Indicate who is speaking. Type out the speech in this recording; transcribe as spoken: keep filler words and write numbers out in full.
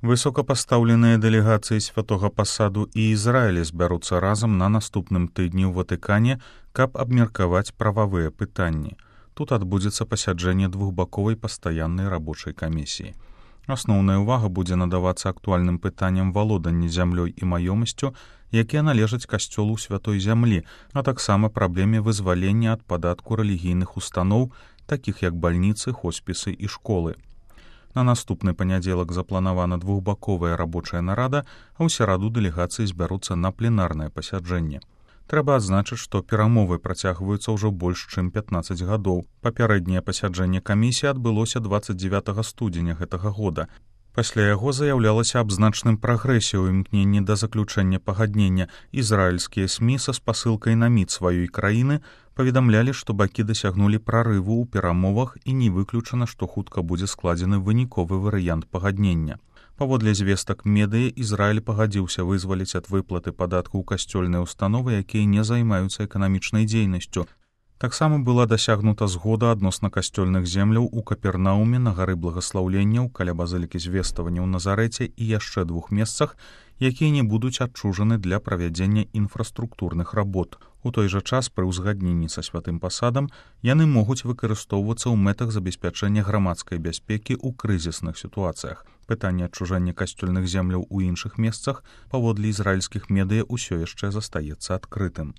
Speaker 1: Высокапастаўленыя дэлегацыі святога пасаду і Ізраіля збяруцца разам на наступным тыдні ў Ватыкане, каб абмеркаваць прававыя пытанні. Тут адбудзецца пасяджэнне двухбаковай пастаяннай рабочай камісіі. Асноўная ўвага будзе надавацца актуальным пытанням валодання зямлёй і маёмасцю, якія належаць касцёлу святой зямлі, а таксама праблеме вызвалення ад падатку рэлігійных устаноў, такіх як бальніцы, хоспісы і школы. На наступны панядзелак запланавана двухбаковая рабочая нарада, а ў сераду дэлегацыі збяруцца на пленарнае пасяджэнне. Трэба адзначыць, што перамовы працягваюцца ўжо больш чым пятнаццаць гадоў. Папярэдняе пасяджэнне камісіі адбылося дваццаць дзевятага студзеня гэтага года. Пасля яго заяўлялася аб значным прагрэсе ў імкненні да заключэння пагаднення. Ізраільскія СМІ са спасылкай на міт сваёй краіны паведамлялі, што бакі дасягнулі прарыву ў перамовах і не выключана, што хутка будзе складзены выніковы варыянт пагаднення. Паводле звестак медыа, Ізраіль пагадзіўся вызваліць ад выплаты падатку ў касцёльныя установы, якія не займаюцца эканамічнай дзейнасцю. Таксама была дасягнута згода адносна касцёльных земляў у Капернауме на гары благаслаўленняў каля базылікі звеставання ў Назарэце і яшчэ двух месцах, якія не будуць адчужаны для правядзення інфраструктурных работ. У той жа час пры ўзгадненні са святым пасадам яны могуць выкарыстоўвацца ў мэтах забеспячэння грамадскай бяспекі ў крызісных сітуацыях. Пытанне адчужання касцёльных земляў у іншых месцах паводле ізраільскіх медыа ўсё яшчэ застаецца адкрытым.